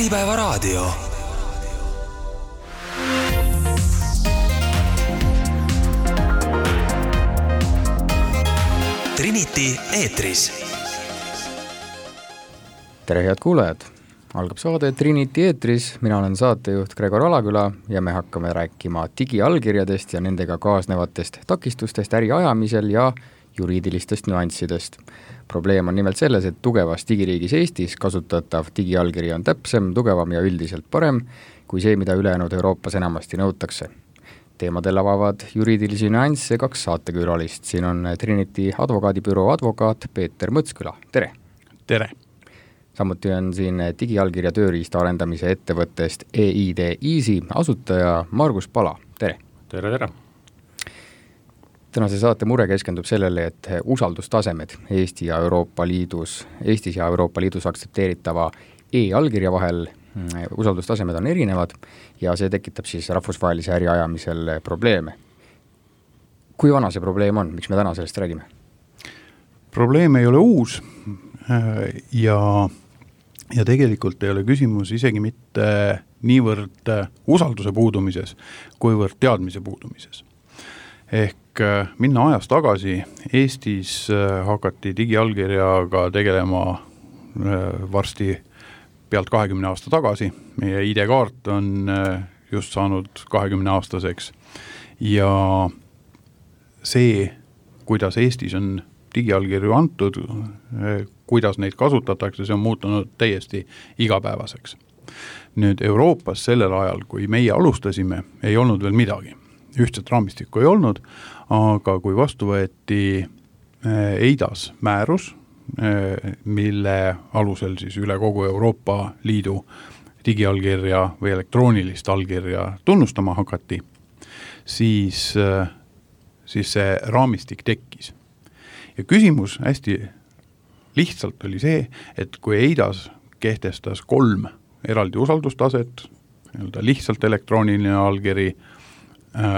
Äripäevaraadio. Trinity eetris. Tere head kuulajad! Algab saade Trinity eetris, mina olen saatejuht Gregor Alaküla ja me hakkame rääkima digiallkirjadest ja nendega kaasnevatest takistustest äri ajamisel ja juriidilistest nüanssidest. Probleem on nimelt selles, et tugevas digiriigis Eestis kasutatav digiallkiri on täpsem, tugevam ja üldiselt parem kui see, mida ülejäänud Euroopas enamasti nõutakse. Teemadel avavad juriidilisi nüansse 2 saatekülalist. Siin on Trinity advokaadibüroo advokaat Peeter Mõtsküla. Tere! Tere! Samuti on siin digiallkirja tööriista arendamise ettevõttest EID Easy asutaja Margus Pala. Tere! Tere, tere! Tänase saate mure keskendub sellele, et usaldustasemed Eestis ja Euroopa Liidus aktsepteeritava e-allkirja vahel usaldustasemed on erinevad ja see tekitab siis rahvusvahelise äri ajamisel probleeme. Kui vana see probleem on? Miks me täna sellest räägime? Probleem ei ole uus ja tegelikult ei ole küsimus isegi mitte niivõrd usalduse puudumises, kuivõrd teadmise puudumises. Ehk minna ajas tagasi, Eestis hakati digiallkirjaga tegelema varsti pealt 20 aasta tagasi. Meie ID-kaart on just saanud 20-aastaseks ja see, kuidas Eestis on digiallkirju antud, kuidas neid kasutatakse, see on muutunud täiesti igapäevaseks. Nüüd Euroopas sellel ajal, kui meie alustasime, ei olnud veel midagi. Ühtset raamistikku ei olnud, aga kui vastu võeti EIDAS määrus, mille alusel siis üle kogu Euroopa Liidu digiallkirja või elektroonilist allkirja tunnustama hakati, siis see raamistik tekkis. Ja küsimus hästi lihtsalt oli see, et kui EIDAS kehtestas 3 eraldi usaldustaset, lihtsalt elektrooniline allkiri,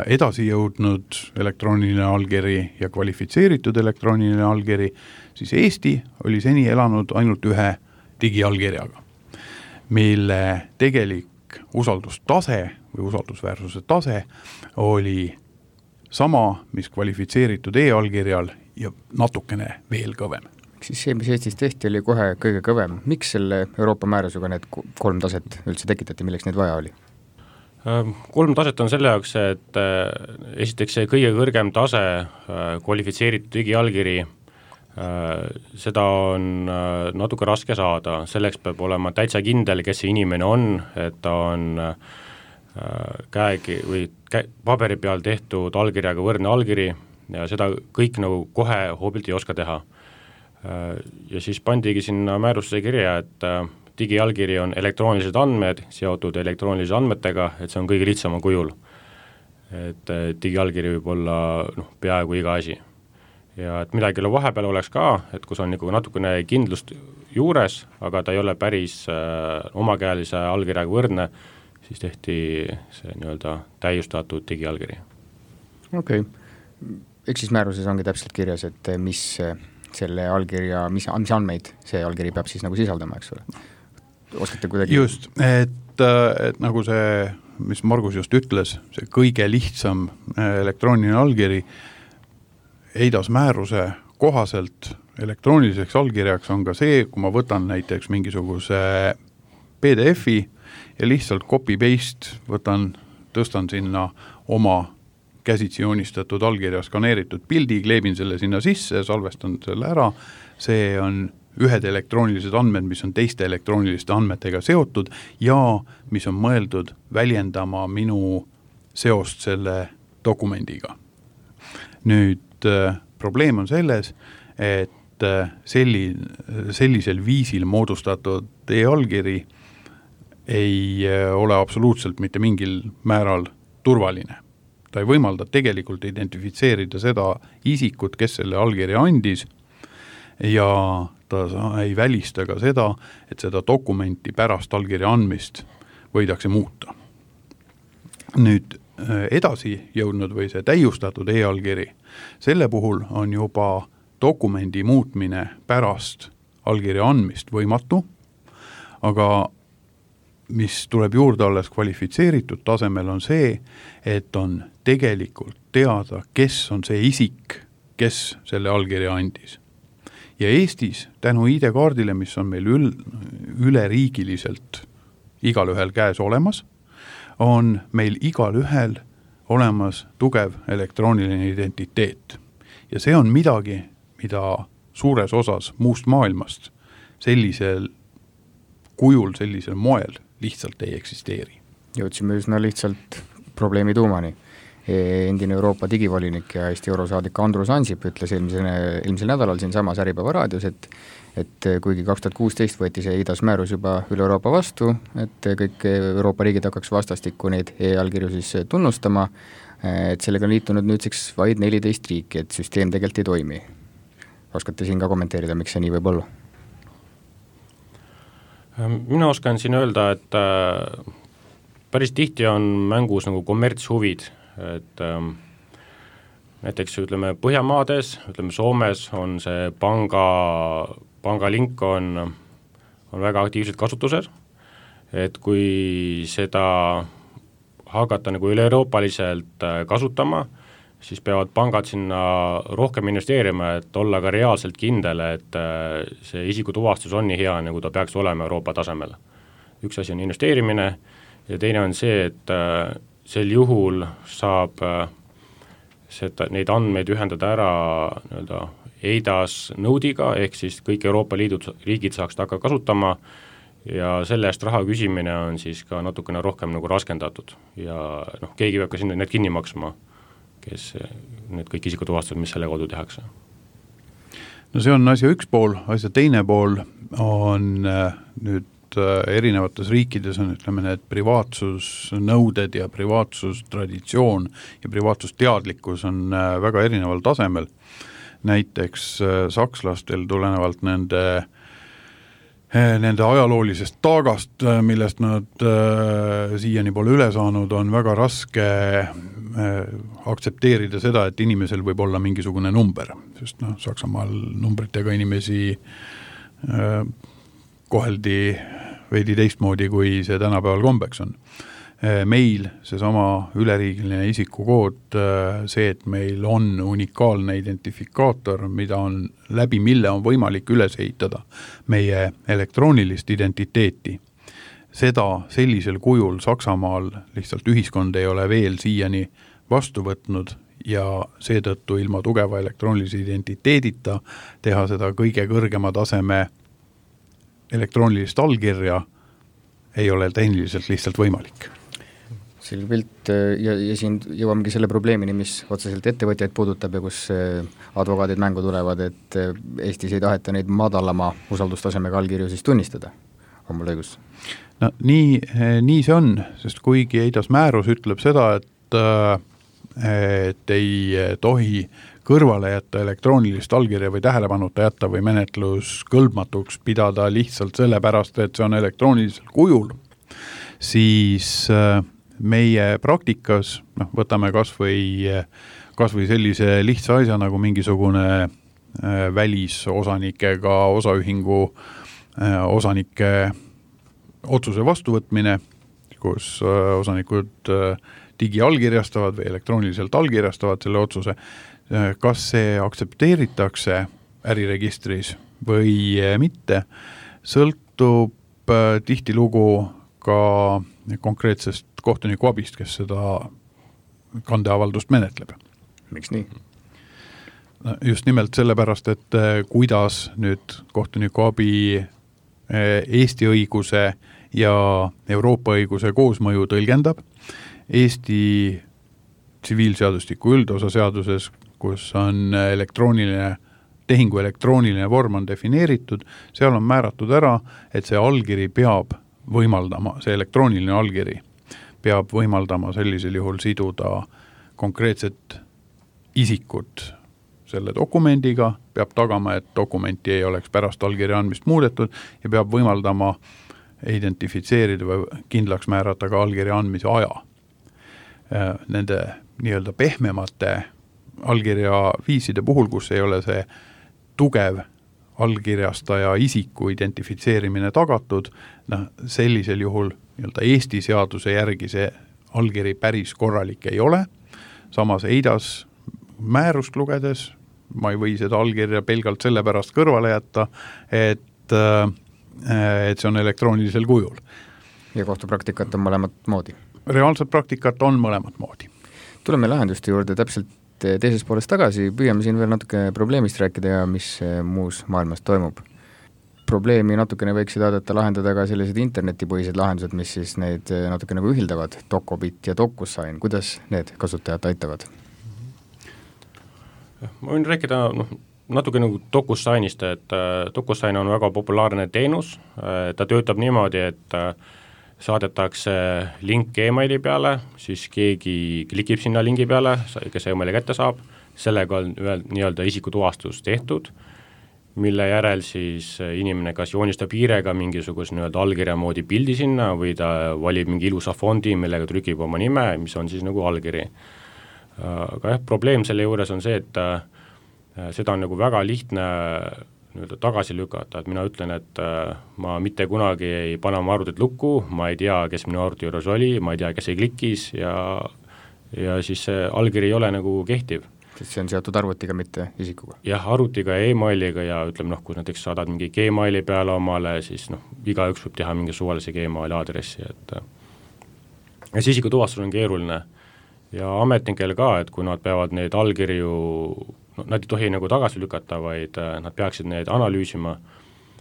edasi jõudnud elektrooniline allkiri ja kvalifitseeritud elektrooniline allkiri, siis Eesti oli seni elanud ainult ühe digiallkirjaga, mille tegelik usaldustase või usaldusväärsuse tase oli sama, mis kvalifitseeritud e-allkirjal ja natukene veel kõvem. Siis see, mis Eestis tehti, oli kohe kõige kõvem. Miks selle Euroopa määrusega need 3 taset üldse tekitati, milleks neid vaja oli? 3 taset on selle jaoks, et esiteks see kõige kõrgem tase, kvalifitseeritud digiallkiri, seda on natuke raske saada. Selleks peab olema täitsa kindel, kes see inimene on, et ta on paberi peal tehtud allkirjaga võrdne allkiri ja seda kõik nagu kohe hoobilt ei oska teha. Ja siis pandigi sinna määrusse kirja, et digiallkiri on elektroonilised andmed seotud elektroonilise andmetega, et see on kõige lihtsama kujul. Et digiallkiri võib olla peaaegu iga asi. Ja et midagi vahepeal oleks ka, et kus on natukene kindlust juures, aga ta ei ole päris omakäelise allkirjaga võrdne, siis tehti see täiustatud digiallkiri. Okei. Eks siis määruses ongi täpselt kirjas, et mis selle allkirja, mis andmeid see allkiri peab siis sisaldama, eks ole? Oskate kuidagi? Just, et nagu see, mis Margus just ütles, see kõige lihtsam elektrooniline allkiri EIDAS määruse kohaselt elektrooniliseks allkirjaks on ka see, kui ma võtan näiteks mingisuguse PDF-i ja lihtsalt copy-paste tõstan sinna oma käsitsi joonistatud allkirja skaneeritud pildi, kleebin selle sinna sisse, salvestan selle ära, see on ühed elektroonilised andmed, mis on teiste elektrooniliste andmetega seotud ja mis on mõeldud väljendama minu seost selle dokumendiga. Nüüd probleem on selles, et sellisel viisil moodustatud e-allkiri ei ole absoluutselt mitte mingil määral turvaline. Ta ei võimalda tegelikult identifitseerida seda isikut, kes selle allkirja andis ja ta ei välista ka seda, et seda dokumenti pärast allkirja andmist võidakse muuta. Nüüd edasi jõudnud või see täiustatud e-allkiri, selle puhul on juba dokumendi muutmine pärast allkirja andmist võimatu, aga mis tuleb juurde alles kvalifitseeritud tasemel, on see, et on tegelikult teada, kes on see isik, kes selle allkirja andis. Ja Eestis tänu ID-kaardile, mis on meil üleriigiliselt igal ühel käes olemas, on meil igal ühel olemas tugev elektrooniline identiteet. Ja see on midagi, mida suures osas muust maailmast sellisel kujul, sellisel moel lihtsalt ei eksisteeri. Jõudsime üsna lihtsalt probleemi tuumani. Endine Euroopa digivolinik ja Eesti eurosaadik Andrus Ansip ütles eelmisel nädalal siin samas Äripäeva raadios, et kuigi 2016 võeti see EIDAS määrus juba üle Euroopa vastu, et kõik Euroopa riigid hakkaks vastastikku neid e-allkirju siis tunnustama, et sellega on liitunud nüüdseks vaid 14 riiki, et süsteem tegelikult ei toimi. Oskate siin ka kommenteerida, miks see nii võib olla? Mina oskan siin öelda, et päris tihti on mängus nagu kommertshuvid, et näiteks ütleme Põhjamaades, ütleme Soomes on see pangalink on väga aktiivselt kasutusel, et kui seda hakata nagu üle-euroopaliselt kasutama, siis peavad pangad sinna rohkem investeerima, et olla ka reaalselt kindel, et see isikutuvastus on nii hea, nagu ta peaks olema Euroopa tasemel. Üks asi on investeerimine ja teine on see, et sel juhul saab neid andmeid ühendada ära nii-öelda EIDAS nõudiga, ehk siis kõik Euroopa Liidu riigid saaks ta hakka kasutama ja selle eest raha küsimine on siis ka natukene rohkem nagu raskendatud ja keegi peab ka sinna need kinni maksma, kes need kõik isikutuvastused, mis selle kaudu tehakse. No see on asja üks pool, asja teine pool on nüüd erinevates riikides on, ütleme, need privaatsusnõuded ja privaatsustraditsioon ja privaatsusteadlikkus on väga erineval tasemel. Näiteks sakslastel tulenevalt nende ajaloolisest taagast, millest nad siiani pole üle saanud, on väga raske aktsepteerida seda, et inimesel võib olla mingisugune number, sest Saksamaal numbritega inimesi koheldi veidi teistmoodi, kui see tänapäeval kombeks on. Meil seesama üleriigiline isikukood, see, et meil on unikaalne identifikaator, mida on läbi mille on võimalik üles ehitada meie elektroonilist identiteeti. Seda sellisel kujul Saksamaal lihtsalt ühiskond ei ole veel siiani vastu võtnud ja seetõttu ilma tugeva elektroonilise identiteedita teha seda kõige kõrgema taseme elektroonilist allkirja ei ole tehniliselt lihtsalt võimalik. Selge pilt ja siin jõuamegi selle probleemini, mis otseselt ettevõtjaid puudutab ja kus advokaadid mängu tulevad, et Eestis ei taheta neid madalama usaldustasemega allkirju siis tunnistada. On mul õigus? No, nii see on, sest kuigi EIDAS määrus ütleb seda, et ei tohi kõrvale jätta elektroonilist allkirja või tähelepanuta jätta või menetlus kõlbmatuks pidada lihtsalt sellepärast, et see on elektroonilisel kujul, siis meie praktikas, võtame kas või sellise lihtsa asja nagu mingisugune välisosanikega osaühingu osanike otsuse vastuvõtmine, kus osanikud digiallkirjastavad või elektrooniliselt allkirjastavad selle otsuse, kas see aktsepteeritakse äriregistris või mitte, sõltub tihtilugu ka konkreetsest kohtuniku abist, kes seda kandeavaldust menetleb. Miks nii? Just nimelt sellepärast, et kuidas nüüd kohtuniku abi Eesti õiguse ja Euroopa õiguse koosmõju tõlgendab. Eesti tsiviilseadustiku üldosa seaduses, kus on tehingu elektrooniline vorm on defineeritud, seal on määratud ära, et see allkiri peab võimaldama, see elektrooniline allkiri peab võimaldama sellisel juhul siduda konkreetset isikut selle dokumendiga, peab tagama, et dokumenti ei oleks pärast allkirja andmist muudetud ja peab võimaldama identifitseerida või kindlaks määrata ka allkirja andmise aja. Nende nii-öelda pehmemate allkirja viiside puhul, kus ei ole see tugev allkirjastaja isiku identifitseerimine tagatud, sellisel juhul nii-öelda Eesti seaduse järgi see allkiri päris korralik ei ole, samas EIDAS määrust lugedes ma ei või seda allkirja pelgalt sellepärast kõrvale jätta, et see on elektroonilisel kujul. Ja kohtupraktikat on mõlemat moodi? Reaalset praktikat on mõlemat moodi. Tuleme lahenduste juurde täpselt teises poolest tagasi, püüame siin veel natuke probleemist rääkida ja mis muus maailmas toimub. Probleemi natukene võiksid aadata lahendada ka sellised internetipõhised lahendused, mis siis neid natuke nagu ühildavad, Docobit ja DocuSign, kuidas need kasutajad aitavad? Ma võin rääkida natuke nagu DocuSignist, et DocuSign on väga populaarne teenus, ta töötab niimoodi, et saadetakse link e-maili peale, siis keegi klikib sinna lingi peale, kes e-maili kätte saab, sellega on nii-öelda isikutuvastus tehtud, mille järel siis inimene kas joonistab hiirega mingisuguse nii-öelda allkirja moodi pildi sinna või ta valib mingi ilusa fondi, millega trükib oma nime, mis on siis nagu allkiri. Aga probleem selle juures on see, et seda on nagu väga lihtne tagasi lükata, et mina ütlen, et ma mitte kunagi ei pane oma arvutit lukku, ma ei tea, kes minu arvuti juures oli, ma ei tea, kes ei klikkis ja siis see allkiri ei ole nagu kehtiv. Sest see on seotud arvutiga, mitte isikuga? Jah, arvutiga ja e-mailiga ja ütleme, kui näiteks saadad mingi Gmaili peale omale, siis igaüks võib teha mingi suvalise Gmaili aadressi, et ja see isikutuvastus on keeruline ja ametnikel ka, et kui nad peavad neid allkirju nad ei tohi nagu tagasi lükata, vaid nad peaksid neid analüüsima,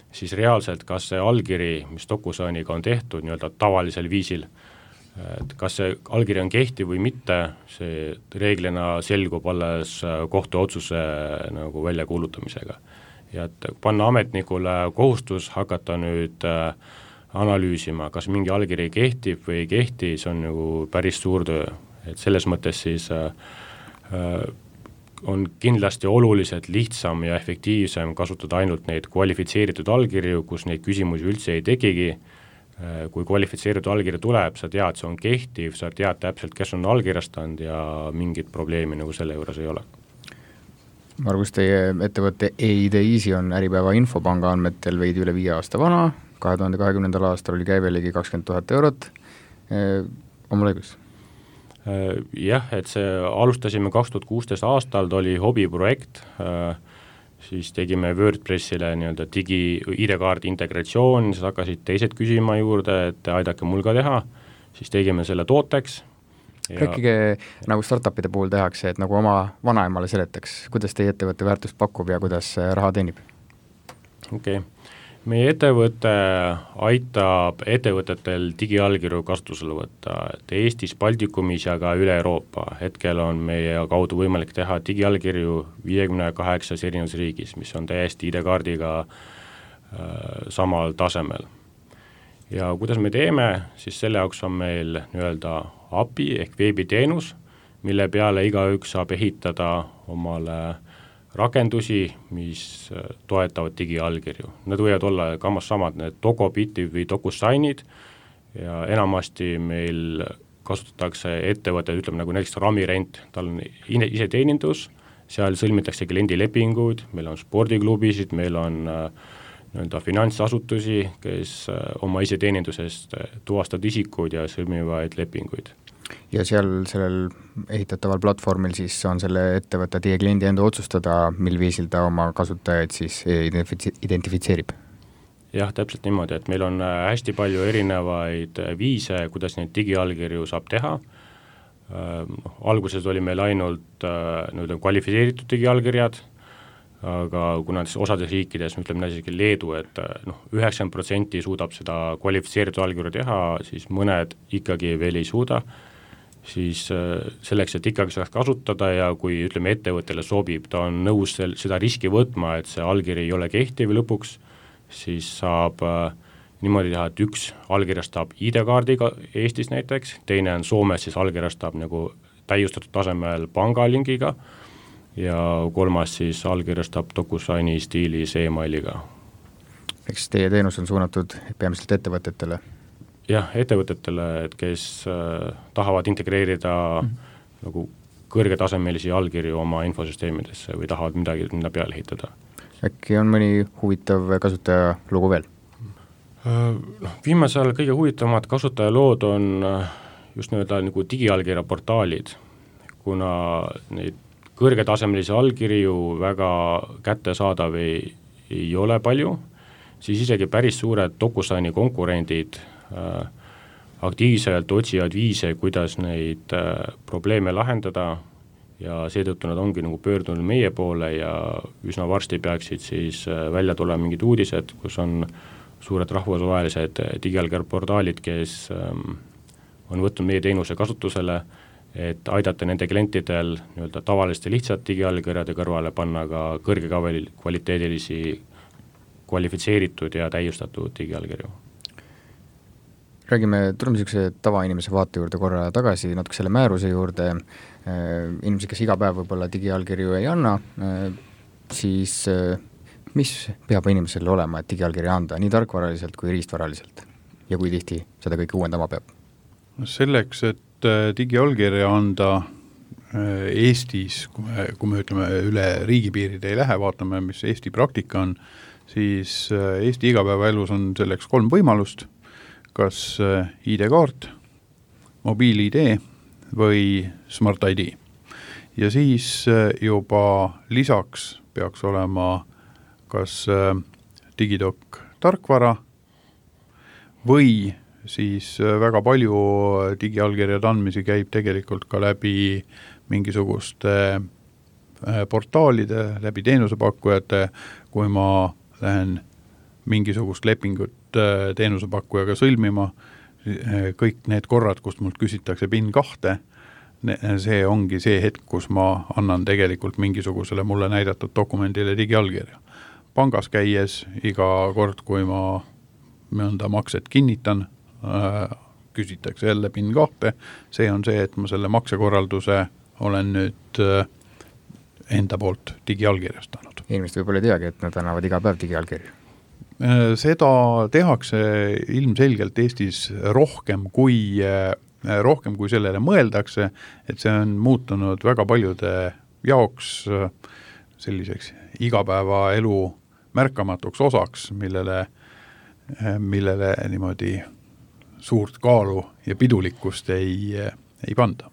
siis reaalselt kas see allkiri, mis DocuSigniga on tehtud nii-öelda tavalisel viisil, et kas see allkiri on kehtiv või mitte, see reeglina selgub alles kohtuotsuse nagu väljakuulutamisega. Ja et panna ametnikule kohustus hakata nüüd analüüsima, kas mingi allkiri kehtib või ei kehti, see on nagu päris suur töö. Et selles mõttes siis on kindlasti oluliselt lihtsam ja efektiivsem kasutada ainult neid kvalifitseeritud allkirju, kus neid küsimusi üldse ei tekigi. Kui kvalifitseeritud allkiri tuleb, sa tead, see on kehtiv, sa tead täpselt, kes on allkirjastanud ja mingit probleemi nagu selle juures ei ole. Margus, teie ettevõtte EID Easy on Äripäeva Infopanga andmetel veidi üle 5 aasta vana, 2020. aastal oli käive ligi 20 000 eurot. On mul õigus? Jah, et see alustasime 2016 aastal, ta oli hobiprojekt, siis tegime WordPressile nii-öelda ID-kaardi integratsioon, siis hakkasid teised küsima juurde, et aidake mul ka teha, siis tegime selle tooteks. Rääkige nagu startupide puhul tehakse, et nagu oma vanaemale seletaks, kuidas teie ettevõtte väärtust pakub ja kuidas raha teenib? Okei. Meie ettevõte aitab ettevõtetel digiallkirju kasutusele võtta, et Eestis, Baltikumis ja ka üle Euroopa. Hetkel on meie kaudu võimalik teha digiallkirju 58 erinevas riigis, mis on täiesti ID-kaardiga samal tasemel. Ja kuidas me teeme, siis selle jaoks on meil nii-öelda API ehk veebiteenus, mille peale igaüks saab ehitada omale rakendusi, mis toetavad digiallkirju. Need võivad olla kammas samad, need Docobitid või DocuSignid ja enamasti meil kasutatakse ettevõtted, ütleme nagu näiteks Ramirent, tal on iseteenindus, seal sõlmitakse kliendilepinguid, meil on spordiklubisid, meil on nii-öelda finantsasutusi, kes oma iseteenindusest tuvastavad isikuid ja sõlmivaid lepinguid. Ja seal sellel ehitataval platvormil siis on selle ettevõtte teie kliendi enda otsustada, mil viisil ta oma kasutajaid siis identifitseerib? Jah, täpselt niimoodi, et meil on hästi palju erinevaid viise, kuidas neid digiallkirju saab teha. Alguses oli meil ainult kvalifitseeritud digiallkirjad, aga kuna osades riikides, ütleme näiteks Leedu, et 90% suudab seda kvalifitseeritud allkirju teha, siis mõned ikkagi veel ei suuda, siis selleks, et ikkagi saaks kasutada ja kui ütleme ettevõttele sobib, ta on nõus seda riski võtma, et see allkiri ei ole kehtiv lõpuks, siis saab niimoodi teha, et üks allkirjastab ID-kaardiga Eestis näiteks, teine on Soomes, siis allkirjastab nagu täiustatud tasemel pangalingiga ja kolmas siis allkirjastab DocuSigni stiilis e-mailiga. Eks teie teenus on suunatud peamiselt ettevõtetele? Jah, ettevõtetele, et kes tahavad integreerida nagu kõrgetasemelisi allkirju oma infosüsteemidesse või tahavad midagi minna peale ehitada. äkki on mõni huvitav kasutaja lugu veel? Viimasel kõige huvitavamad kasutajalood on just nagu digiallkirja portaalid, kuna neid kõrgetasemelisi allkirju väga kättesaadav ei ole palju, siis isegi päris suured DocuSigni konkurendid aktiivselt otsivad viise, kuidas neid probleeme lahendada ja seetõttu nad ongi nagu pöördunud meie poole ja üsna varsti peaksid siis välja tulema mingid uudised, kus on suured rahvusvahelised digiallkirja portaalid, kes on võtnud meie teenuse kasutusele, et aidata nende klientidel tavaliste lihtsalt digiallkirjade kõrvale panna ka kõrge kvaliteedilisi kvalifitseeritud ja täiustatud digiallkirju. Tuleme niisuguse tavainimese vaate juurde korra tagasi, natuke selle määruse juurde. Inimesed, kes iga päev võib-olla digiallkirju ei anna, siis mis peab inimesel olema, et digiallkirja anda, nii tarkvaraliselt kui riistvaraliselt? Ja kui tihti seda kõike uuendama peab? Selleks, et digiallkirja anda Eestis, kui me ütleme üle riigipiiride ei lähe, vaatame, mis Eesti praktika on, siis Eesti igapäevaelus on selleks 3 võimalust, kas ID-kaart, mobiil-ID või Smart ID. Ja siis juba lisaks peaks olema kas digidoc tarkvara või siis väga palju digiallkirjade andmisi käib tegelikult ka läbi mingisuguste portaalide, läbi teenusepakkujate, kui ma lähen mingisugust lepingut teenusepakkujaga sõlmima, kõik need korrad, kust mult küsitakse PIN 2, see ongi see hetk, kus ma annan tegelikult mingisugusele mulle näidatud dokumendile digiallkirja. Pangas käies iga kord, kui ma mõnda makset kinnitan, küsitakse jälle PIN 2, see on see, et ma selle maksekorralduse olen nüüd enda poolt digiallkirjastanud. Inimesed võib-olla ei teagi, et nad annavad iga päev digiallkirju. Seda tehakse ilmselgelt Eestis rohkem kui sellele mõeldakse, et see on muutunud väga paljude jaoks selliseks igapäevaelu märkamatuks osaks, millele niimoodi suurt kaalu ja pidulikkust ei panda.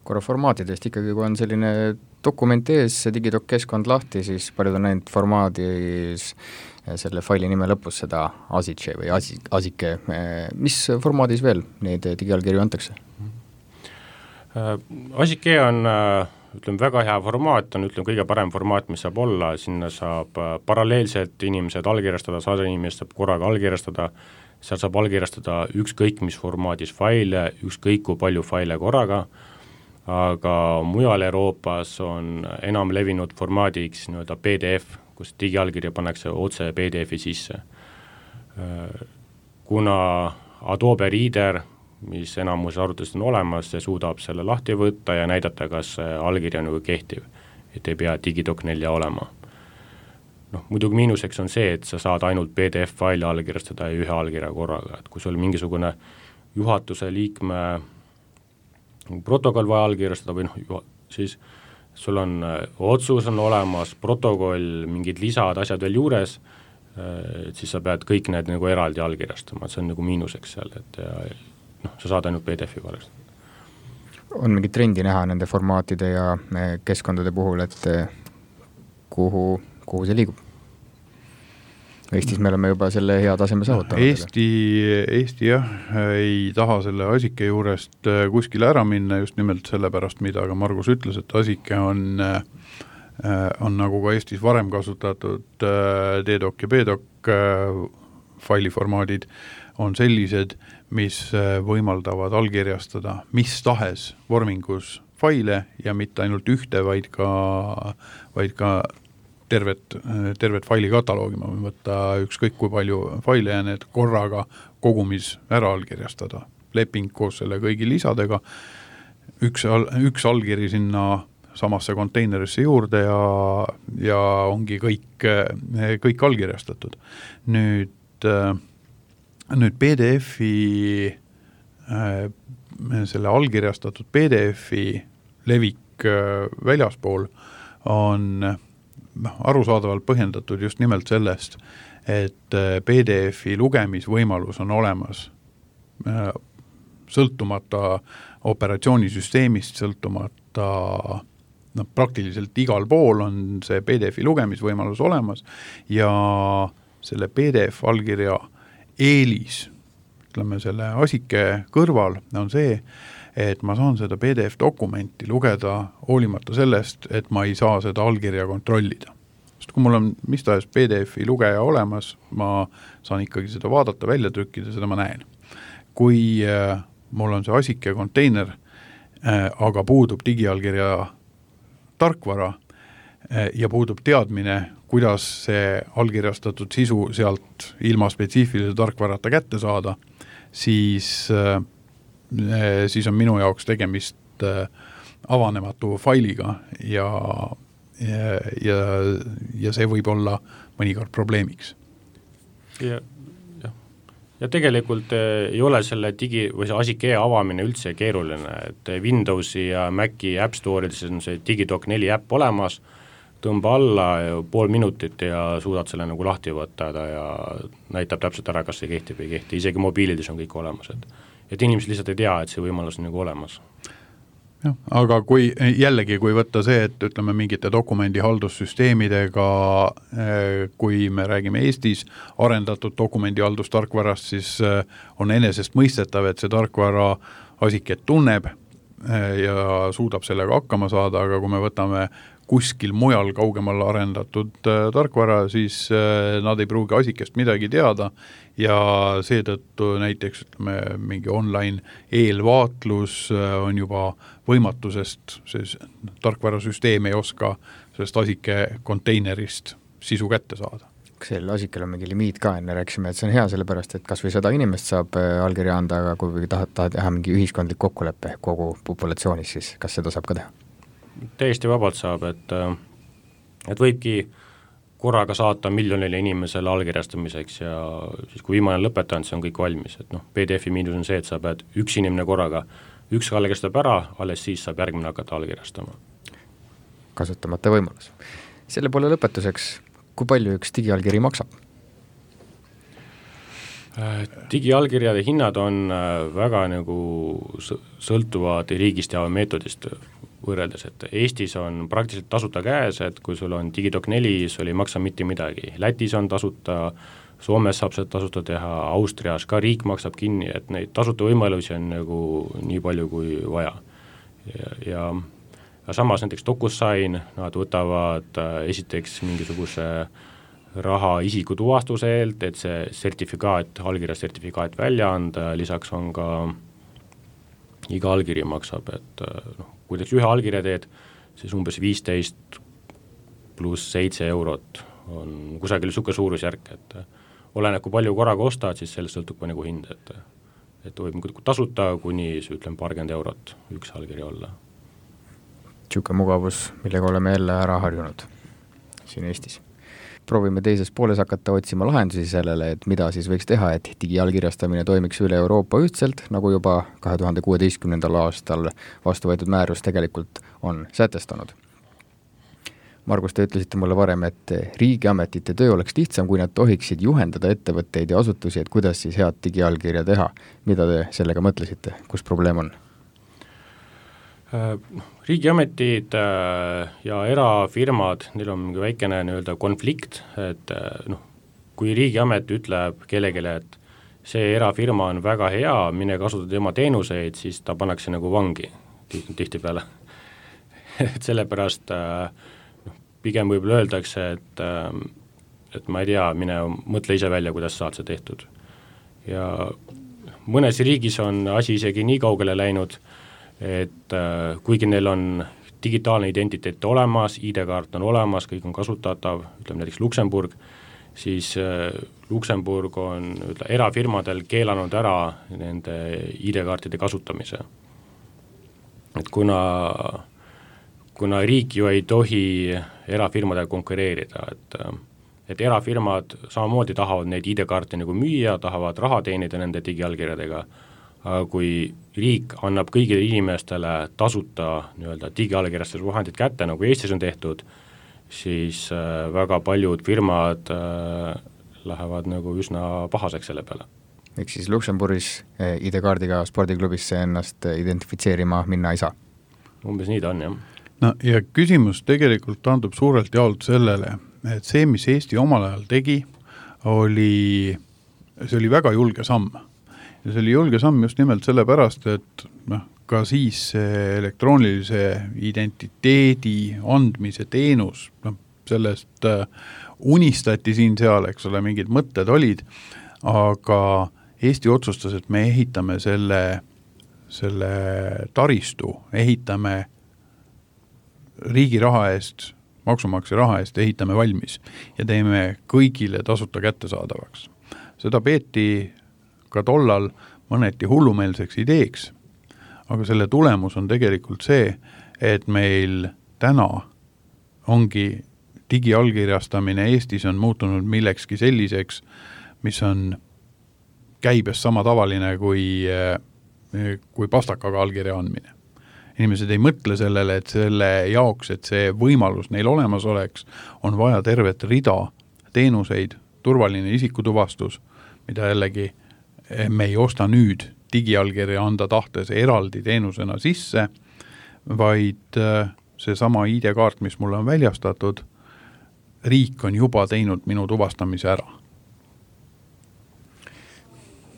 Korra formaatidest ikkagi, kui on selline dokument ees, digidoc keskkond lahti, siis paljud on näinud formaadis selle faili nime lõpus seda ASICE või ASICE. Mis formaadis veel neid digiallkirju antakse? ASICE on väga hea formaat, on kõige parem formaat, mis saab olla, sinna saab paralleelselt inimesed allkirjastada, 100 inimest saab korraga allkirjastada, seal saab allkirjastada ükskõik mis formaadis faile, ükskõik kui palju faile korraga, aga mujal Euroopas on enam levinud formaadiks PDF, kus digiallkirja pannakse otse PDF-i sisse. Kuna Adobe Reader, mis enamus arvutust on olemas, see suudab selle lahti võtta ja näidata, kas allkiri on kehtiv, et ei pea digidoc 4 olema. Muidugi miinuseks on see, et sa saad ainult PDF-faili allkirjastada ja ühe allkirja korraga, et kui sul mingisugune juhatuse liikme protokoll vaja allkirjastada või siis sul on otsus on olemas, protokoll, mingid lisad, asjad veel juures, siis sa pead kõik need eraldi allkirjastama, see on miinuseks seal, et sa saad ainult PDF-i allkirjastada. On mingi trendi näha nende formaatide ja keskkondade puhul, et kuhu see liigub? Eestis me oleme juba selle hea taseme saavutanud. Eesti jah, ei taha selle ASICE juurest kuskile ära minna just nimelt selle pärast, mida ka Margus ütles, et ASICE on nagu ka Eestis varem kasutatud DDoC ja BDoC failiformaadid on sellised, mis võimaldavad allkirjastada mis tahes vormingus faile ja mitte ainult ühte, vaid ka tervet faili kataloogi, ma võin võtta ükskõik kui palju faile ja need korraga kogumis ära allkirjastada. Leping koos selle kõigi lisadega, üks allkiri sinna samasse konteinerisse juurde ja ongi kõik allkirjastatud. Nüüd PDF-i, selle allkirjastatud PDF-i levik väljaspool on arusaadavalt põhjendatud just nimelt sellest, et PDF-i lugemisvõimalus on olemas sõltumata operatsioonisüsteemist, sõltumata praktiliselt igal pool on see PDF-i lugemisvõimalus olemas ja selle PDF allkirja eelis, ütleme selle asike kõrval on see, et ma saan seda PDF-dokumenti lugeda hoolimata sellest, et ma ei saa seda allkirja kontrollida. Sest kui mul on mis tahes PDF-i lugeja olemas, ma saan ikkagi seda vaadata, välja trükkida, seda ma näen. Kui mul on see asike konteiner, aga puudub digiallkirja tarkvara ja puudub teadmine, kuidas see allkirjastatud sisu sealt ilma spetsiifilise tarkvarata kätte saada, siis on minu jaoks tegemist avanematu failiga ja see võib olla mõnikord probleemiks. Ja tegelikult ei ole selle või see asike avamine üldse keeruline, et Windowsi ja Maci App Store'ides on see Digidoc 4 äpp olemas, tõmba alla pool minutit ja suudad selle nagu lahti võtta ja näitab täpselt ära, kas see kehtib või ei kehti, isegi mobiilides on kõik olemas, et inimesed lihtsalt ei tea, et see võimalus on nagu olemas. Ja, aga kui võtta see, et ütleme mingite dokumendihaldussüsteemidega, kui me räägime Eestis arendatud dokumendihaldusstarkvarast, siis on enesest mõistetav, et see tarkvara asiket tunneb ja suudab sellega hakkama saada, aga kui me võtame kuskil mujal kaugemal arendatud tarkvara, siis nad ei pruugi asikest midagi teada ja seetõttu näiteks ütleme, mingi online eelvaatlus on juba võimatusest, see tarkvarasüsteem ei oska sellest asike konteinerist sisu kätte saada. Kas sellel asikel on mingi limiit ka, enne rääksime, et see on hea sellepärast, et kas või 100 inimest saab allkirja anda, aga kui tahad teha mingi ühiskondlik kokkuleppe kogu populatsioonis, siis kas seda saab ka teha? Täiesti vabalt saab, et võibki korraga saata miljonile inimesele allkirjastamiseks ja siis kui viimane lõpetanud, see on kõik valmis, et PDF-i miinus on see, et sa pead üks inimene korraga, üks allkirjastab ära, alles siis saab järgmine hakata allkirjastama. Kasutamata võimalus. Selle poole lõpetuseks, kui palju üks digiallkiri maksab? Digiallkirjade hinnad on väga nagu sõltuvad riigist ja meetodist võrreldes, et Eestis on praktiliselt tasuta käes, et kui sul on Digidoc 4, sul ei maksa mitte midagi. Lätis on tasuta, Soomes saab seda tasuta teha, Austrias ka riik maksab kinni, et neid tasuta võimalusi on nagu nii palju kui vaja. Ja samas näiteks DocuSign, nad võtavad esiteks mingisuguse raha isiku tuvastuse eelt, et see sertifikaat, allkirja sertifikaat välja anda, lisaks on ka iga allkiri maksab, et kui teeks ühe allkirja teed, siis umbes 15 pluss 7 eurot on kusagil suke suurusjärk, et oleneb, kui palju korraga ostad, siis sellest sõltub nagu hind, et võib tasuta kuni ütleme paarkümmend eurot üks allkiri olla. Siuke mugavus, millega oleme jälle ära harjunud siin Eestis. Proovime teises pooles hakata otsima lahendusi sellele, et mida siis võiks teha, et digiallkirjastamine toimiks üle Euroopa ühtselt, nagu juba 2016. aastal vastu võetud määrus tegelikult on sätestanud. Margus, te ütlesite mulle varem, et riigiametite töö oleks lihtsam, kui nad tohiksid juhendada ettevõtteid ja asutusi, et kuidas siis head digiallkirja teha. Mida te sellega mõtlesite? Kus probleem on? Riigiametid ja erafirmad, neil on mingi väikene konflikt, et kui riigiamet ütleb kellelegi, et see erafirma on väga hea, mine kasutada tema teenuseid, siis ta pannakse nagu vangi tihtipeale. Et sellepärast pigem võib-olla öeldakse, et ma ei tea, mine mõtle ise välja, kuidas saad see tehtud. Ja mõnes riigis on asi isegi nii kaugele läinud, et kuigi neil on digitaalne identiteet olemas, ID-kaart on olemas, kõik on kasutatav, ütleme näiteks Luksemburg, siis Luksemburg on erafirmadel keelanud ära nende ID-kaartide kasutamise. Et kuna riik ju ei tohi erafirmadega konkureerida, et erafirmad samamoodi tahavad neid ID-kaarte nagu müüa, tahavad raha teenida nende digiallkirjadega, aga kui riik annab kõigile inimestele tasuta digiallkirjastusvahendid kätte, nagu Eestis on tehtud, siis väga paljud firmad lähevad nagu üsna pahaseks selle peale. Ehk siis Luksemburgis ID-kaardiga spordiklubisse ennast identifitseerima minna ei saa? Umbes nii ta on, jah. No ja küsimus tegelikult taandub suurelt jaolt sellele, et see, mis Eesti omal ajal tegi, see oli väga julge samm. Ja see oli julge samm just nimelt sellepärast, et ka siis elektroonilise identiteedi andmise teenus, sellest unistati siin seal, eks ole, mingid mõtted olid, aga Eesti otsustas, et me ehitame selle taristu, ehitame riigi raha eest, maksumaksja raha eest, ehitame valmis ja teeme kõigile tasuta kättesaadavaks. Seda peeti ka tollal mõneti hullumeelseks ideeks, aga selle tulemus on tegelikult see, et meil täna ongi digiallkirjastamine Eestis on muutunud millekski selliseks, mis on käibes sama tavaline kui pastakaga allkirja andmine. Inimesed ei mõtle sellele, et selle jaoks, et see võimalus neil olemas oleks, on vaja tervet rida teenuseid, turvaline isikutuvastus, mida jällegi me ei osta nüüd digiallkirja anda tahtes eraldi teenusena sisse, vaid see sama ID-kaart, mis mulle on väljastatud, riik on juba teinud minu tuvastamise ära.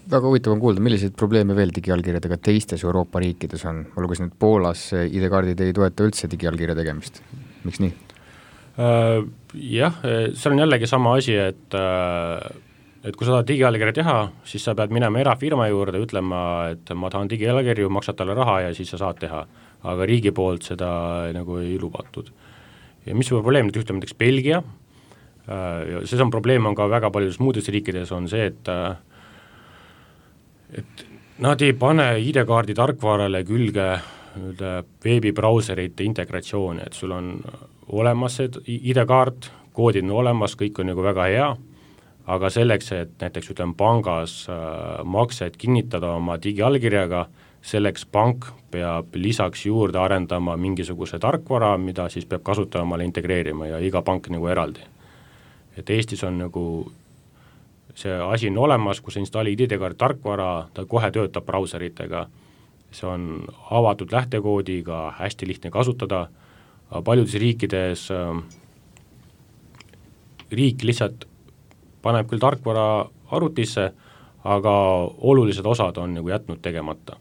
Väga huvitav on kuulda, milliseid probleeme veel digiallkirjadega teistes Euroopa riikides on. Ma lugesin, et Poolas ID-kaardid ei toeta üldse digiallkirja tegemist. Miks nii? Jah, see on jällegi sama asi, et kui sa tahad digiallkirja teha, siis sa pead minema erafirma juurde, ütlema, et ma tahan digiallkirju, maksad talle raha ja siis sa saad teha. Aga riigi poolt seda nagu ei lubatud. Ja mis probleem nüüd ütleme näiteks Belgia, see on probleem on ka väga paljudes muudes riikides on see, et nad ei pane ID-kaardi tarkvarale külge veebibrauserite integratsiooni, et sul on olemas see ID-kaart, koodid on olemas, kõik on nagu väga hea, aga selleks, et näiteks pangas maksed kinnitada oma digiallkirjaga, selleks pank peab lisaks juurde arendama mingisuguse tarkvara, mida siis peab kasutama integreerima ja iga pank nagu eraldi. Et Eestis on nagu see asi on olemas, kus installid ID-kaardi tarkvara, ta kohe töötab brauseritega, see on avatud lähtekoodiga, hästi lihtne kasutada, paljudes riikides riik lihtsalt paneb küll tarkvara arvutisse, aga olulised osad on nagu jätnud tegemata.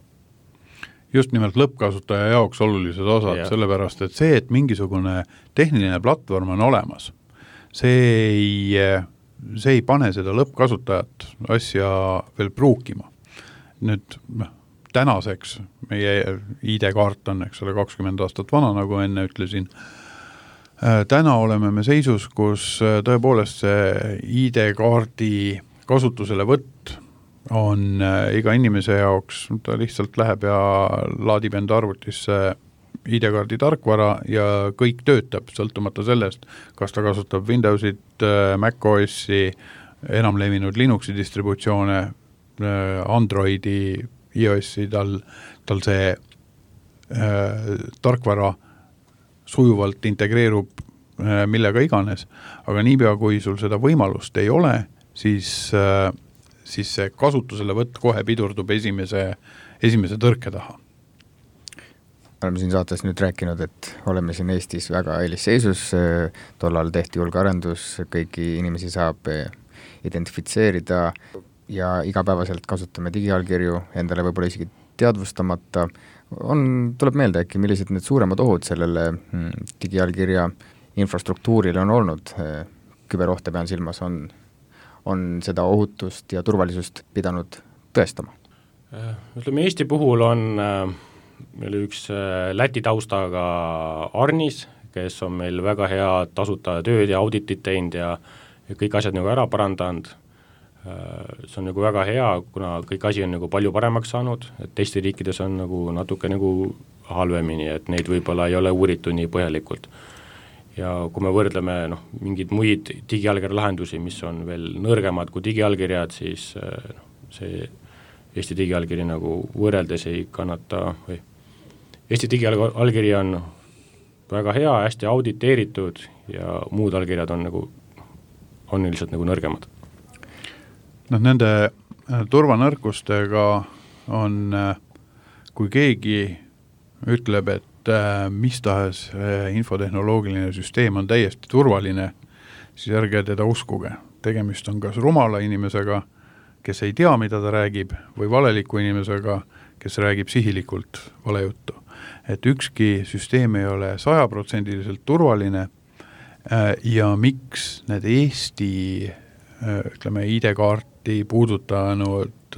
Just nimelt lõppkasutaja jaoks olulised osad, sellepärast, et see, et mingisugune tehniline platvorm on olemas, see ei pane seda lõppkasutajat asja veel pruukima. Nüüd tänaseks meie ID-kaart on, eks ole, 20 aastat vana, nagu enne ütlesin. Täna oleme me seisus, kus tõepoolest see ID-kaardi kasutusele võtt on iga inimese jaoks, ta lihtsalt läheb ja laadib enda arvutisse ID-kaardi tarkvara ja kõik töötab, sõltumata sellest, kas ta kasutab Windowsit, macOSi, enam levinud Linuxi distributsioone, Androidi, iOSi, tal see tarkvara sujuvalt integreerub millega iganes, aga niipea kui sul seda võimalust ei ole, siis see kasutusele võtt kohe pidurdub esimese tõrke taha. Oleme siin saates nüüd rääkinud, et oleme siin Eestis väga eelisseisus, tollal tehti julgearendus, kõiki inimesi saab identifitseerida ja igapäevaselt kasutame digiallkirju, endale võib-olla isegi teadvustamata. Tuleb meelde äkki, millised need suuremad ohud sellele digiallkirja infrastruktuurile on olnud, küberohte pean silmas, on seda ohutust ja turvalisust pidanud tõestama? Ütleme, Eesti puhul on meil üks Läti taustaga Arnis, kes on meil väga hea tasuta tööd ja auditit teinud ja kõik asjad nagu ära parandanud. See on nagu väga hea, kuna kõik asi on nagu palju paremaks saanud, et teiste riikides on nagu natuke nagu halvemini, et neid võib-olla ei ole uuritud nii põhjalikult. Ja kui me võrdleme mingid muid digiallkirja lahendusi, mis on veel nõrgemad kui digiallkirjad, siis see Eesti digiallkiri nagu võrreldes ei kannata või Eesti digiallkiri on väga hea, hästi auditeeritud ja muud allkirjad on lihtsalt nagu nõrgemad. Nende turvanõrkustega on, kui keegi ütleb, et mis tahes infotehnoloogiline süsteem on täiesti turvaline, siis ärge teda uskuge. Tegemist on kas rumala inimesega, kes ei tea, mida ta räägib, või valeliku inimesega, kes räägib sihilikult valejuttu. Et ükski süsteem ei ole 100% turvaline ja miks need Eesti ID-kaarti puudutanud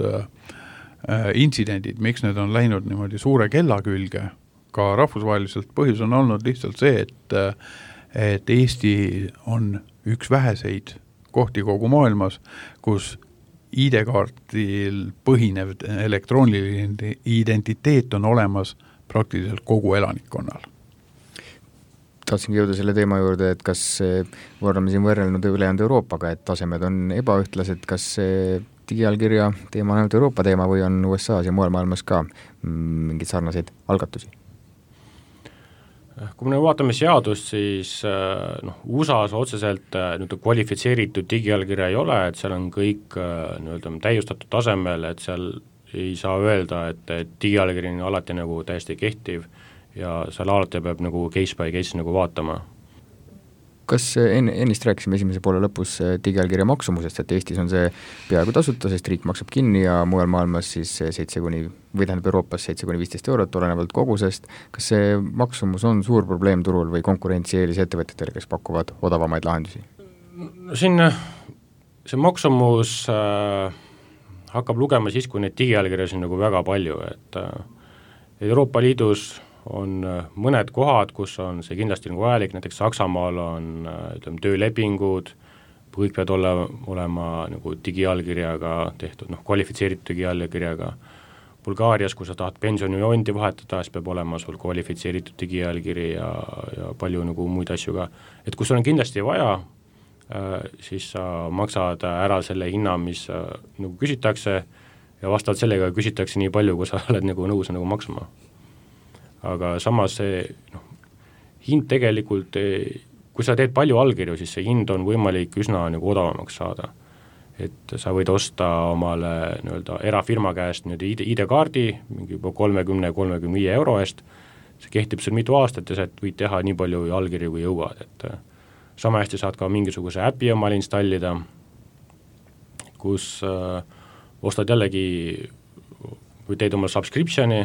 intsidendid, miks need on läinud niimoodi suure kella külge, ka rahvusvaheliselt põhjus on olnud lihtsalt see, et Eesti on üks väheseid kohti kogu maailmas, kus ID-kaartil põhinev elektrooniline identiteet on olemas praktiliselt kogu elanikkonnal. Tahtsingi jõuda selle teema juurde, et kas oleme siin võrrelnud ülejäänud Euroopaga, et tasemed on ebaühtlased, kas digiallkirja teema on ainult Euroopa teema või on USA-s ja mujal maailmas ka mingeid sarnaseid algatusi? Kui me vaatame seadust, siis USA-s otseselt kvalifitseeritud digiallkirja ei ole, et seal on kõik täiustatud tasemel, et seal ei saa öelda, et digiallkiri on alati nagu täiesti kehtiv ja seal alati peab nagu case by case nagu vaatama. Kas ennist rääkisime esimese poole lõpus digiallkirja maksumusest, et Eestis on see peaaegu tasuta, sest riik maksab kinni ja mujal maailmas siis Euroopas 7-15 eurot olenevalt kogusest. Kas see maksumus on suur probleem turul või konkurentsieelis ettevõtetele, kes pakuvad odavamaid lahendusi? Siin see maksumus hakkab lugema siis, kui neid digiallkirjasid on nagu väga palju, et Euroopa Liidus on mõned kohad, kus on see kindlasti nagu vajalik, näiteks Saksamaal on töölepingud, kõik peavad olema nagu digiallkirjaga tehtud, kvalifitseeritud digiallkirjaga. Bulgaarias, kui sa tahad pensionijondi vahetada, siis peab olema sul kvalifitseeritud digiallkiri ja palju nagu muid asju ka. Et kui sul on kindlasti vaja, siis sa maksad ära selle hinna, mis nagu küsitakse ja vastavalt sellega küsitakse nii palju, kui sa oled nagu nõus nagu maksma. Aga samas see hind tegelikult, kui sa teed palju allkirju, siis see hind on võimalik üsna nagu odavamaks saada. Et sa võid osta omale erafirma käest ID-kaardi mingi juba 30-35 euro eest, see kehtib sul mitu aastat ja sa võid teha nii palju allkirju kui jõuad, et sama hästi saad ka mingisuguse äpi omale installida, kus ostad jällegi või teed omale subscriptioni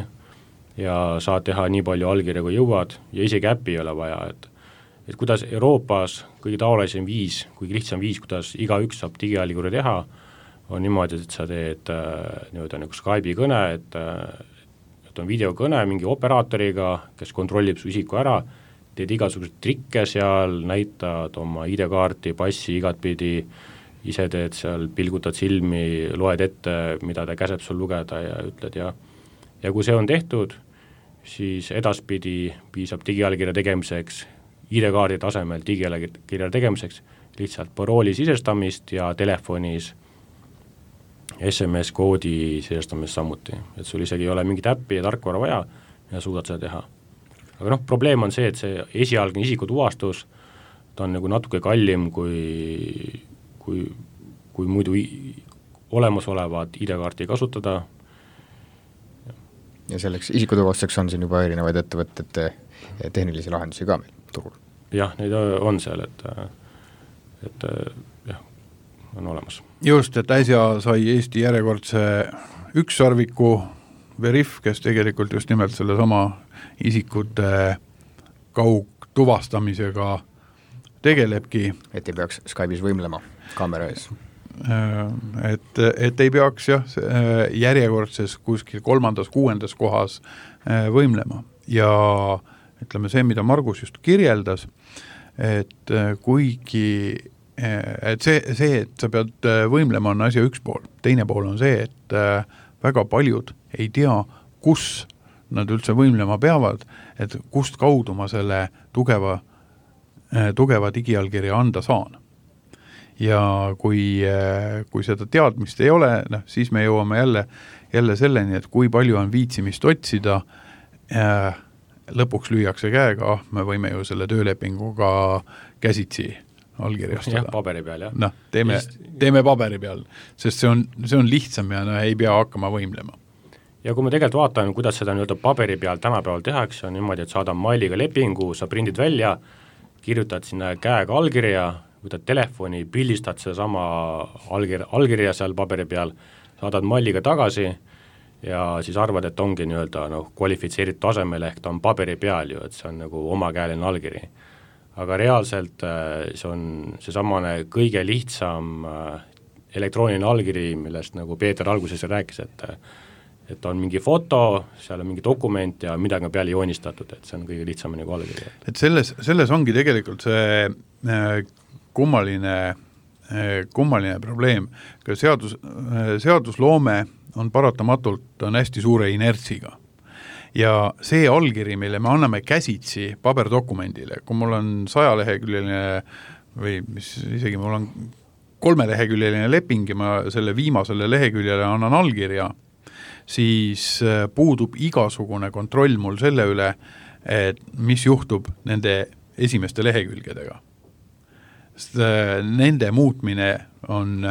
ja saad teha nii palju allkirja kui jõuad ja isegi äppi ei ole vaja, et kuidas Euroopas kõige tavalisem viis, kõige lihtsam viis, kuidas igaüks saab digiallkirja teha, on niimoodi, et sa teed nagu Skype'i kõne, et on videokõne mingi operaatoriga, kes kontrollib su isiku ära, teed igasuguseid trikke seal, näitad oma ID-kaarti, passi igatpidi, ise teed seal, pilgutad silmi, loed ette, mida ta käseb sul lugeda ja ütled ja kui see on tehtud, siis edaspidi piisab digiallkirja tegemiseks, ID-kaardi tasemel digiallkirja tegemiseks, lihtsalt parooli sisestamist ja telefonis SMS-koodi sisestamist samuti. Et sul isegi ei ole mingit äppi ja tarkvara vaja ja suudad seda teha. Aga probleem on see, et see esialgne isikutuvastus, ta on nagu natuke kallim kui muidu olemasolevat ID-kaarti kasutada. Ja selleks isikutuvastuseks on siin juba erinevaid ettevõtete tehnilisi lahendusi ka meil turul. Jah, neid on seal, et jah, on olemas. Just, et äsja sai Eesti järjekordse ükssarviku Veriff, kes tegelikult just nimelt selle sama isikute kaugtuvastamisega tegelebki. Et ei peaks Skype'is võimlema kaamera ees. Et ei peaks järjekordses kuskil 3.-6. kohas võimlema ja ütleme see, mida Margus just kirjeldas, et kuigi et see, et sa pead võimlema on asja üks pool, teine pool on see, et väga paljud ei tea, kus nad üldse võimlema peavad, et kust kaudu ma selle tugeva digiallkirja anda saan. Ja kui seda teadmist ei ole, siis me jõuame jälle selleni, et kui palju on viitsimist otsida, lõpuks lüüakse käega, me võime ju selle töölepinguga käsitsi allkirjastada. Jah, paberi peal, jah. Noh, teeme paberi peal, sest see on lihtsam ja ei pea hakkama võimlema. Ja kui me tegelikult vaatame, kuidas seda nii-öelda paberi peal tänapäeval tehakse, on niimoodi, et saadab mailiga lepingu, sa prindid välja, kirjutad sinna käega allkirja, võtad telefoni, pildistad sedasama allkirja seal paberi peal, saadad mailiga tagasi ja siis arvad, et ongi nii-öelda kvalifitseeritud tasemel, ehk ta on paberi peal ju, et see on nagu omakäeline allkiri. Aga reaalselt see on seesamane kõige lihtsam elektrooniline allkiri, millest nagu Peeter alguses rääkis, et on mingi foto, seal on mingi dokument ja midagi on peale joonistatud, et see on kõige lihtsam nagu allkiri. Et selles ongi tegelikult see kummaline probleem, ka seadusloome on paratamatult hästi suure inertsiga. Ja see allkiri, mille me anname käsitsi paberdokumendile, kui mul on 100-leheküljeline või mis isegi mul on 3-leheküljeline leping ja ma selle viimasele leheküljele annan allkirja, siis puudub igasugune kontroll mul selle üle, et mis juhtub nende esimeste lehekülgedega. Sest nende muutmine on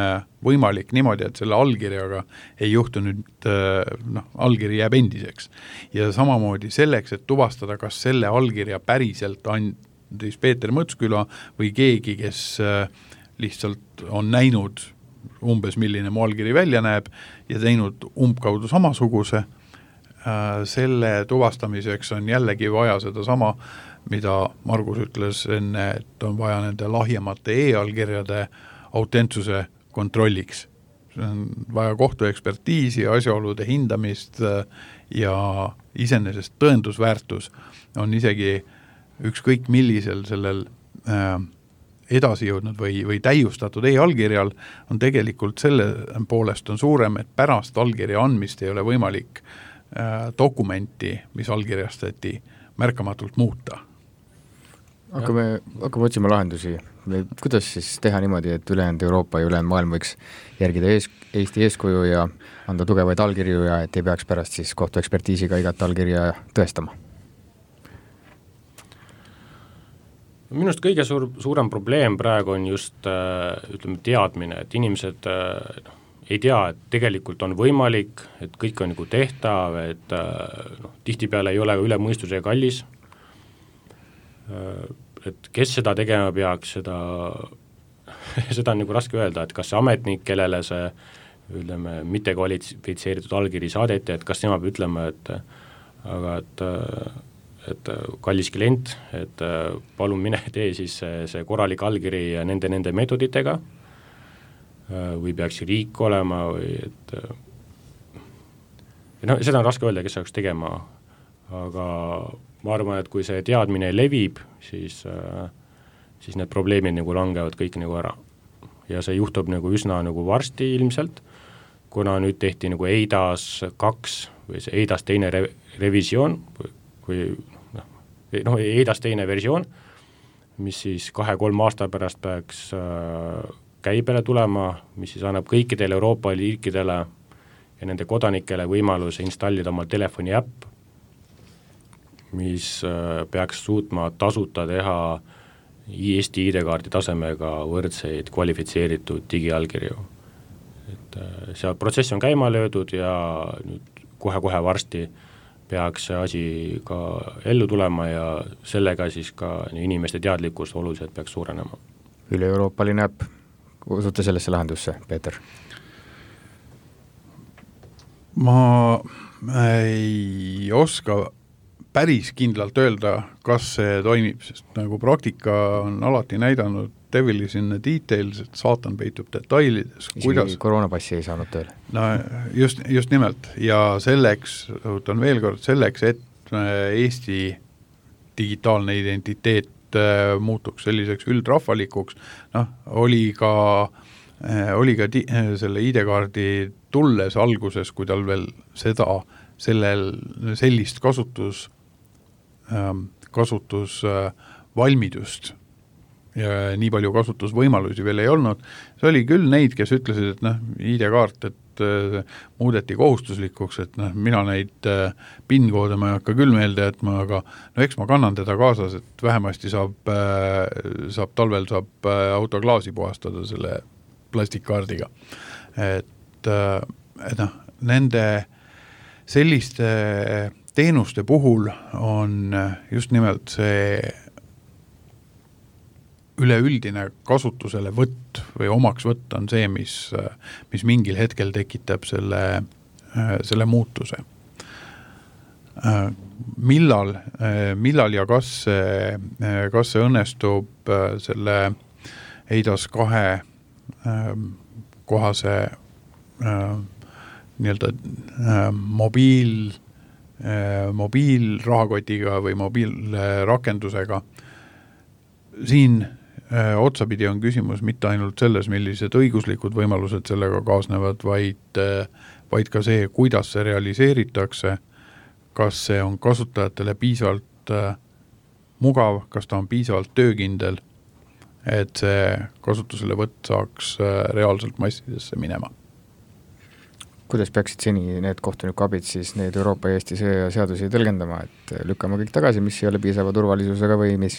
võimalik niimoodi, et selle allkirjaga ei juhtu nüüd, allkiri jääb endiseks. Ja samamoodi selleks, et tuvastada, kas selle allkirja päriselt andis Peeter Mõtsküla või keegi, kes lihtsalt on näinud umbes milline mu allkiri välja näeb ja teinud umbkaudu samasuguse, selle tuvastamiseks on jällegi vaja seda sama, mida Margus ütles enne, et on vaja nende lahjemate e-allkirjade autentsuse kontrolliks. See on vaja kohtuekspertiisi, asjaolude hindamist ja iseenesest tõendusväärtus on isegi ükskõik millisel sellel edasi jõudnud või täiustatud e-allkirjal on tegelikult selle poolest on suurem, et pärast allkirja andmist ei ole võimalik dokumenti, mis allkirjastati, märkamatult muuta. Hakkame otsima lahendusi. Kuidas siis teha niimoodi, et ülejäänud Euroopa ja ülejäänud maailm võiks järgida Eesti eeskuju ja anda tugevaid allkirju ja et ei peaks pärast siis kohtuekspertiisiga igat allkirja tõestama? Minust kõige suurem probleem praegu on just teadmine, et inimesed ei tea, et tegelikult on võimalik, et kõik on nagu tehtav, et tihtipeale ei ole üle mõistuse kallis, et kes seda tegema peaks, seda on nagu raske öelda, et kas see ametnik, kellele see mitte kvalifitseeritud allkiri saadeti, et kas tema peab ütlema, et kallis klient, et palun mine tee siis see korralik allkiri nende meetoditega või peaks riik olema või seda on raske öelda, kes saaks tegema, aga ma arvan, et kui see teadmine levib, siis need probleemid nagu langevad kõik nagu ära. Ja see juhtub nagu üsna nagu varsti ilmselt, kuna nüüd tehti nagu EIDAS 2 või see EIDAS teine revisioon või EIDAS teine versioon, mis siis 2-3 aasta pärast peaks käibele tulema, mis siis annab kõikidele Euroopa liikidele ja nende kodanikele võimaluse installida oma telefoni äpp, mis peaks suutma tasuta teha Eesti ID-kaardi tasemega võrdseid kvalifitseeritud digiallkirju. Et see protsess on käima löödud ja nüüd kohe varsti peaks see asi ka ellu tulema ja sellega siis ka inimeste teadlikkus oluliselt peaks suurenema. Üle-euroopaline äpp, usute sellesse lahendusse, Peeter? Ma ei oska päris kindlalt öelda, kas see toimib, sest nagu praktika on alati näidanud devil is in the details, et saatan peitub detailides. Isegi koroonapassi ei saanud tööle. No just nimelt ja selleks, õhutan veel kord, selleks, et Eesti digitaalne identiteet muutuks selliseks üldrahvalikuks, oli ka selle ID-kaardi tulles alguses, kui tal veel sellist kasutusvalmidust ja nii palju kasutusvõimalusi veel ei olnud. See oli küll neid, kes ütlesid, et ID-kaart, et muudeti kohustuslikuks, et mina neid PIN-koode ma ei hakka küll meelde jätma, aga eks ma kannan teda kaasas, et vähemasti talvel saab autoklaasi puhastada selle plastikkaardiga. Et nende selliste teenuste puhul on just nimelt see üleüldine kasutusele võtt või omaks võtt on see, mis mingil hetkel tekitab selle muutuse. Millal ja kas see õnnestub selle EIDAS 2 kohase nii-öelda mobiilrahakotiga või mobiilrakendusega. Siin otsapidi on küsimus mitte ainult selles, millised õiguslikud võimalused sellega kaasnevad, vaid ka see, kuidas see realiseeritakse, kas see on kasutajatele piisavalt mugav, kas ta on piisavalt töökindel, et see kasutusele võtt saaks reaalselt massidesse minema. Kuidas peaksid seni need kohtunikuabid siis need Euroopa ja Eesti seadusi tõlgendama, et lükkama kõik tagasi, mis ei ole piisava turvalisusega või mis?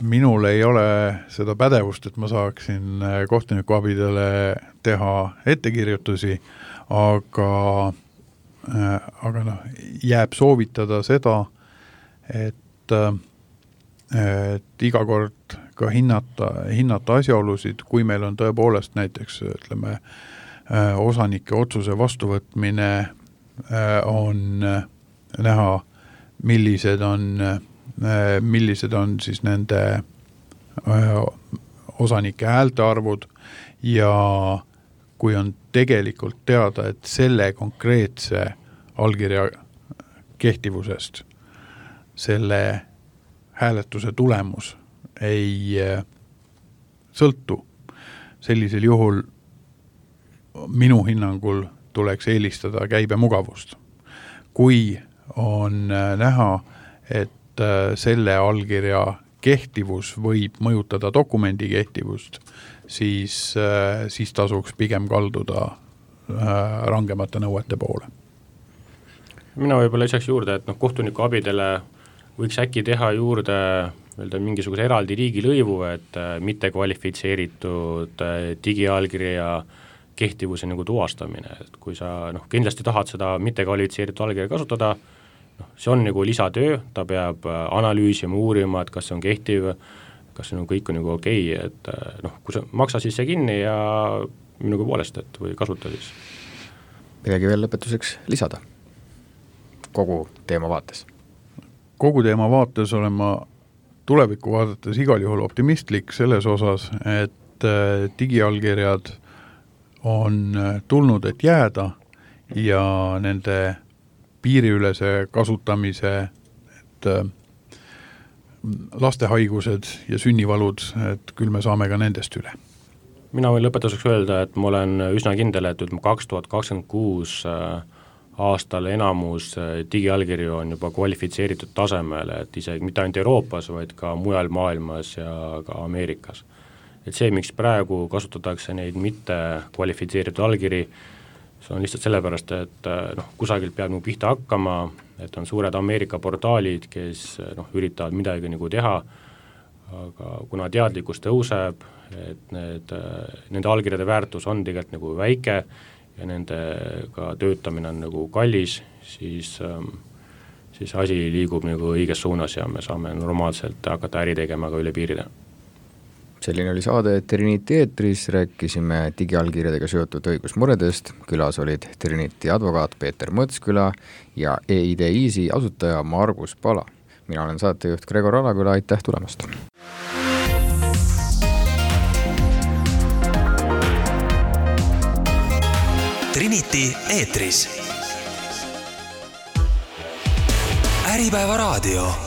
Minul ei ole seda pädevust, et ma saaksin kohtunikuabidele teha ettekirjutusi, aga jääb soovitada seda, et iga kord ka hinnata asjaolusid, kui meil on tõepoolest näiteks osanike otsuse vastuvõtmine on näha, millised on siis nende osanike häälte arvud ja kui on tegelikult teada, et selle konkreetse allkirja kehtivusest selle hääletuse tulemus ei sõltu. Sellisel juhul minu hinnangul tuleks eelistada käibemugavust. Kui on näha, et selle allkirja kehtivus võib mõjutada dokumendi kehtivust, siis tasuks pigem kalduda rangemate nõuete poole. Mina võib-olla lisaks juurde, et kohtuniku abidele võiks äkki teha juurde mingisuguse eraldi riigilõivu, et mitte kvalifitseeritud digiallkirja kehtivuse tuvastamine, et kui sa kindlasti tahad seda mitte kvalifitseeritud allkirja kasutada, see on lisatöö, ta peab analüüsima, uurima, et kas see on kehtiv, kas see kõik on okei, et kui sa maksa siis see kinni ja minuga poolest, et või kasuta siis. Midagi veel lõpetuseks lisada kogu teema vaates? Kogu teema vaates olen ma tulevikku vaadates igal juhul optimistlik selles osas, et digiallkirjad on tulnud, et jääda ja nende piiriülese kasutamise, et lastehaigused ja sünnivalud, et küll me saame ka nendest üle. Mina võin lõpetuseks öelda, et ma olen üsna kindel, et 2026 aastal enamus digiallkirju on juba kvalifitseeritud tasemel, et isegi mitte ainult Euroopas, vaid ka mujal maailmas ja ka Ameerikas. Et see, miks praegu kasutatakse neid mitte kvalifitseeritud allkiri, see on lihtsalt sellepärast, et kusagilt peab pihta hakkama, et on suured Ameerika portaalid, kes üritavad midagi teha, aga kuna teadlikkus tõuseb, et nende allkirjade väärtus on tegelikult väike ja nendega töötamine on kallis, siis asi liigub õiges suunas ja me saame normaalselt hakata äri tegema ka üle piiride. Selline oli saade Trinity eetris, rääkisime digiallkirjadega seotud õigusmuredest, külas olid Trinity advokaat Peeter Mõtsküla ja EID Easy asutaja Margus Pala. Mina olen saatejuht Gregor Alaküla, aitäh tulemast! Trinity eetris. Äripäeva raadio.